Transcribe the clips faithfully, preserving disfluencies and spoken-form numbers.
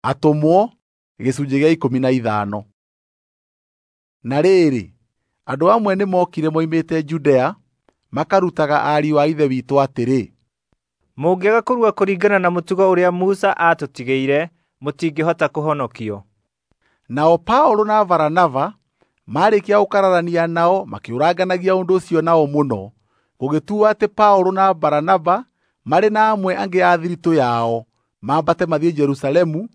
Atũmwo gĩcunjĩ gĩa ikũmi na ithano. Na rĩrĩ, andũ amwe nĩmokire moimĩte Judea makarutaga ariũ a Ithe witũ atĩrĩ, mũngĩaga kũrua kũringana na mũtugo ũrĩa Musa aatũtigĩire, mũtingĩhota kũhonokio. Nao Paũlũ na Baranaba marĩkia gũkararania nao makĩũranganagia ũndũ ũcio nao mũno, gũgĩtuo atĩ Paũlũ na Baranaba marĩ na amwe angĩ a thiritũ yao mambate mathiĩ Jerusalemu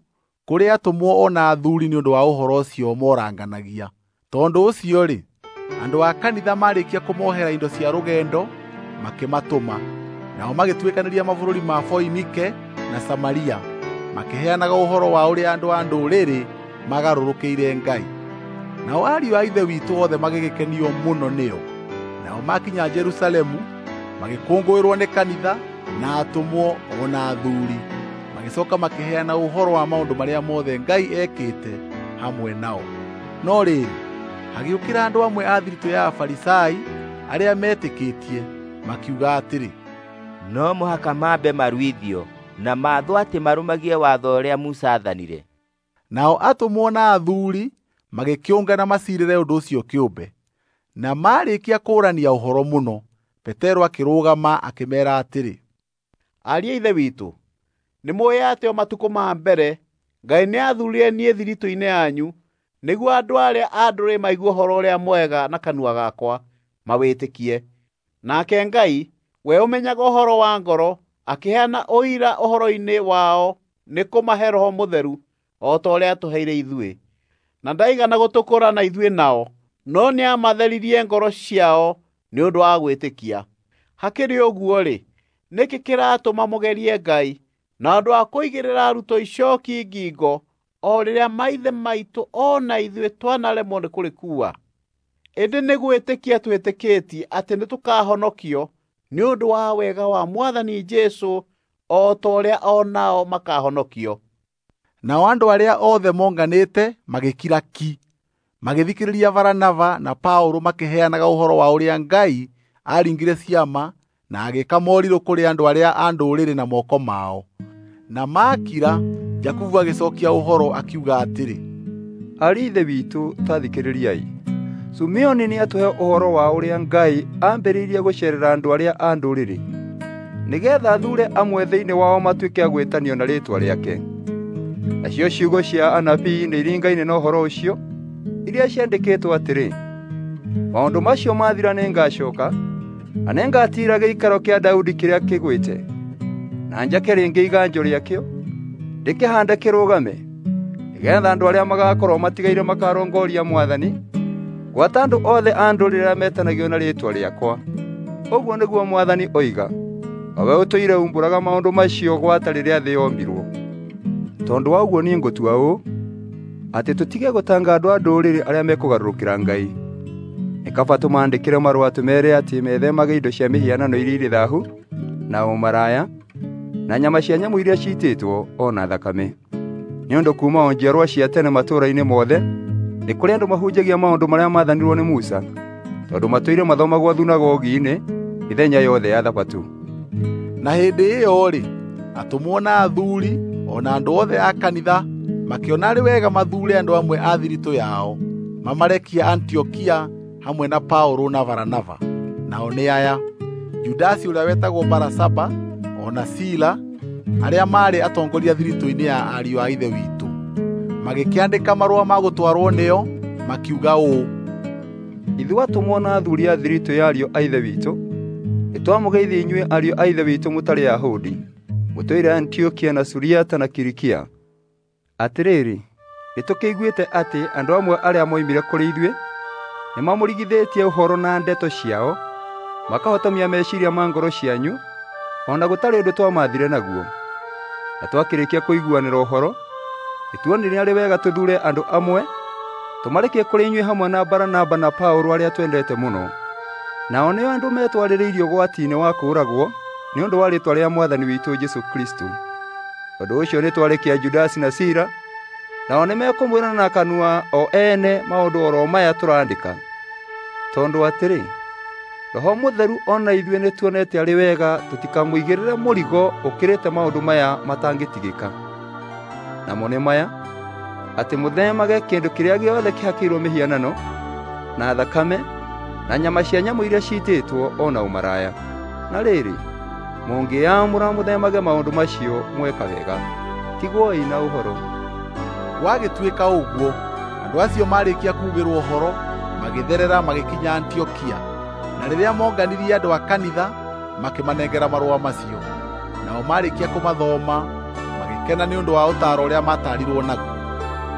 kũrĩ atũmwo o na athuuri nĩ ũndũ wa ũhoro ũcio moranganagia. Tondũ ũcio-rĩ, andũ a kanitha marĩkia kũmohera indo cia rũgendo makĩmatũma. Nao magĩtuĩkanĩria mabũrũri ma Foinike na Samaria, makĩheanaga ũhoro wa ũrĩa andũ a ndũrĩrĩ magarũrũkĩire Ngai. Nao ariũ a Ithe witũ othe magĩgĩkenio mũno nĩo. Nao makinya Jerusalemu magĩkũngũĩrwo nĩ kanitha na atũmwo o na athuuri. Magĩcoka makĩheana ũhoro wa maũndũ marĩa mothe Ngai ekĩte hamwe nao. No rĩrĩ, hagĩũkĩra andũ amwe a thiritũ ya Afarisai arĩa metĩkĩtie, makiuga atĩrĩ, no mũhaka mambe maruithio na maathwo atĩ marũmagie watho ũrĩa Musa aathanire. Nao atũmwo na athuuri magĩkĩũngana maciirĩre ũndũ ũcio kĩũmbe. Na marĩkia kũũrania ũhoro mũno, Petero akĩrũgama akĩmeera atĩrĩ, ariũ a Ithe witũ, nĩmũũĩ atĩ o matukũ ma mbere Ngai nĩathuurire niĩ thiritũ-inĩ yanyu nĩguo andũ arĩa a ndũrĩrĩ maigue ũhoro ũrĩa mwega na kanua gakwa mawĩtĩkie. Nake Ngai, we ũmenyaga ũhoro wa ngoro, akĩheana ũira ũhoro-inĩ wao nĩ kũmahe Roho Mũtheru o ta ũrĩa atũheire ithuĩ. Na ndaigana gũtũkũũrana ithuĩ nao, no nĩamatheririe ngoro ciao nĩ ũndũ wa gwĩtĩkia. Hakĩrĩ ũguo-rĩ, nĩkĩ kĩratũma mũgerie Ngai na ũndũ wa kũigĩrĩra arutwo icooki ngingo o rĩrĩa maithe maitũ o na ithuĩ twanaremwo nĩ kũrĩkuua? Ĩndĩ nĩ gwĩtĩkia twĩtĩkĩtie atĩ nĩtũkahonokio nĩ ũndũ wa wega wa Mwathani Jesũ o ta ũrĩa o nao makahonokio. Nao andũ arĩa othe monganĩte magĩkira ki, magĩthikĩrĩria Baranaba na Paũlũ makĩheanaga ũhoro wa ũrĩa Ngai aaringire ciama na agĩĩka morirũ kũrĩ andũ arĩa a ndũrĩrĩ na moko mao. Na maakira, Jakubu agĩcokia ũhoro akiuga atĩrĩ, ariũ a Ithe witũ, ta thikĩrĩriai. Sumeoni nĩatũhe ũhoro wa ũrĩa Ngai aambĩrĩirie gũceerera andũ arĩa a ndũrĩrĩ, nĩgeetha athuure amwe thĩinĩ wao matuĩke a gwĩtanio na rĩĩtwa rĩake. Nacio ciugo cia anabii nĩiringaine na ũhoro ũcio, iria ciandĩkĩtwo atĩrĩ, maũndũ macio mathira nĩngacooka, na nĩngatiira gĩikaro kĩa Daudi kĩrĩa kĩgwĩte, na njake rĩngĩ iganjo rĩakĩo, ndĩkĩhaande kĩrũgame, nĩgeetha andũ arĩa magakorwo matigaire makarongoria Mwathani, gwata andũ othe a ndũrĩrĩ arĩa metanagio na rĩĩtwa rĩakwa. Ũguo nĩguo Mwathani oiga, o we ũtũire umbũraga maũndũ macio gwata rĩrĩa thĩ yombirwo. Tondũ wa ũguo niĩ ngũtua ũũ, atĩ tũtige gũtanga andũ a ndũrĩrĩ arĩa mekũgarũrũkĩra Ngai. Nĩ kaba tũmaandĩkĩre marũa tũmeere atĩ methemage indo cia mĩhianano iria irĩ thaahu, na ũmaraya, na nyama cia nyamũ iria ciitĩtwo, o na thakame. Nĩ ũndũ kuuma o njiarwa cia tene matũũra-inĩ mothe nĩ kũrĩ andũ mahunjagia maũndũ marĩa maathanirwo nĩ Musa, tondũ matũire mathomagwo thunagogi-inĩ mĩthenya yothe ya Thabatũ. Na hĩndĩ ĩyo-rĩ, atũmwo na athuuri o na andũ othe a kanitha makĩona arĩ wega mathuure andũ amwe a thiritũ yao mamarekie Antiokia hamwe na Paũlũ na Baranaba. Nao nĩ aya: Judasi ũrĩa wetagwo Barasaba o na Sila, arĩa maarĩ atongoria thiritũ-inĩ ya ariũ a Ithe witũ. Magĩkĩandĩka marũa ma gũtwarwo nĩo, makiuga ũũ: ithuĩ atũmwo na athuuri a thiritũ ya ariũ a Ithe witũ, nĩtwamũgeithia inyuĩ ariũ a Ithe witũ mũtarĩ Ayahudi, mũtũire Antiokia na Suriata na Kilikia. Atĩrĩrĩ, nĩtũkĩiguĩte atĩ andũ amwe arĩa moimire kũrĩ ithuĩ nĩmamũrigithĩtie ũhoro na ndeto ciao, makahotomia meciiria ma ngoro cianyu, o na gũtarĩ ũndũ twamaathire naguo. Na twakĩrĩkia kũiguanĩra ũhoro, nĩtuonire arĩ wega tũthuure andũ amwe tũmarekie kũrĩ inyuĩ hamwe na Baranaba na Paũlũ arĩa twendete mũno. Nao nĩo andũ metwarĩrĩirie ũgwati-inĩ wa kũũragwo nĩ ũndũ wa rĩĩtwa rĩa Mwathani witũ Jesũ Kristũ. Tondũ ũcio nĩtwarekia Judasi na Sila, nao nĩmekũmwĩra na kanua o ene maũndũ oro maya tũraandĩka. Tondũ atĩrĩ, Roho Mũtheru o na ithuĩ nĩtuonete arĩ wega tũtikamũigĩrĩre mũrigo ũkĩrĩte maũndũ maya matangĩtigĩka. Namo nĩ maya, atĩ mũthemage kĩndũ kĩrĩa gĩothe kĩhakĩirwo mĩhianano, na thakame, na nyama cia nyamũ iria ciitĩtwo o na ũmaraya. Na rĩrĩ, mũngĩĩamũra mũthemage maũndũ macio mweka wega. Tigwoi na ũhoro. Gwagĩtuĩka ũguo, andũ acio marĩkia kuugĩrwo ũhoro, magĩtherera magĩkinya Antiokia. Na rĩrĩa monganirie andũ a kanitha, makĩmanengera marũa macio. Nao marĩkia kũmathoma, magĩkena nĩ ũndũ wa ũtaaro ũrĩa maataarirwo naguo.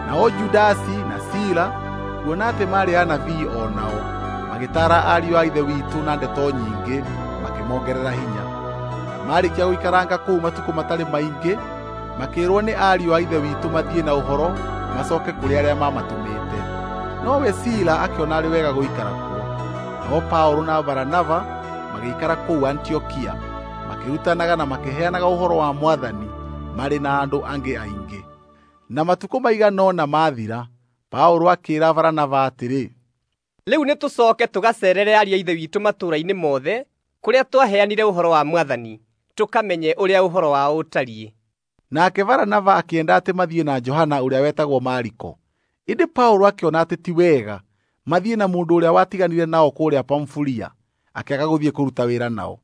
Nao Judasi na Sila, kuona atĩ maarĩ anabii o nao, magĩtaara ariũ a Ithe witũ na ndeto nyingĩ, makĩmongerera hinya. Na marĩkia gũikaranga kũu matukũ matarĩ maingĩ, makĩĩrwo nĩ ariũ a Ithe witũ mathiĩ na ũhoro macoke kũrĩ arĩa mamatũmĩte. Nowe Sila akĩona arĩ wega gũikara kuo. Nao Paũlũ na Baranaba magĩikara kũu Antiokia, makĩrutanaga na makĩheanaga ũhoro wa Mwathani marĩ na andũ angĩ aingĩ. Na matukũ maigana ũna mathira, Paũlũ akĩĩra Baranaba atĩrĩ, "Rĩu nĩtũcooke tũgaceerere ariũ a Ithe witũ matũũra-inĩ mothe kũrĩa twaheanire ũhoro wa Mwathani, tũkamenye ũrĩa ũhoro wao ũtariĩ." Nake Baranaba akĩenda atĩ mathiĩ na Johana ũrĩa wetagwo Mariko. Ĩndĩ Paũlũ akĩona atĩ ti wega mathiĩ na mũndũ ũrĩa watiganire nao kũrĩa Pamfulia, akĩaga gũthiĩ kũruta wĩra nao.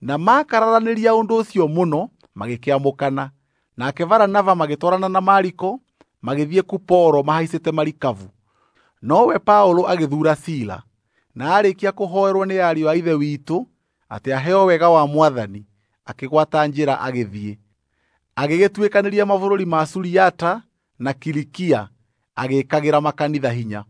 Na makararanĩria ũndũ ũcio mũno, magĩkĩamũkana. Nake Baranaba magĩtwarana na Mariko, magĩthiĩ Kuporo mahaicĩte marikabu. Nowe Paũlũ agĩthuura Sila, na aarĩkia kũhoerwo nĩ ariũ a Ithe witũ atĩ aheo wega wa Mwathani, akĩgwata njĩra agĩthiĩ. Agĩgĩtuĩkanĩria mabũrũri ma Suriata na Kilikia, agĩĩkagĩra makanitha hinya.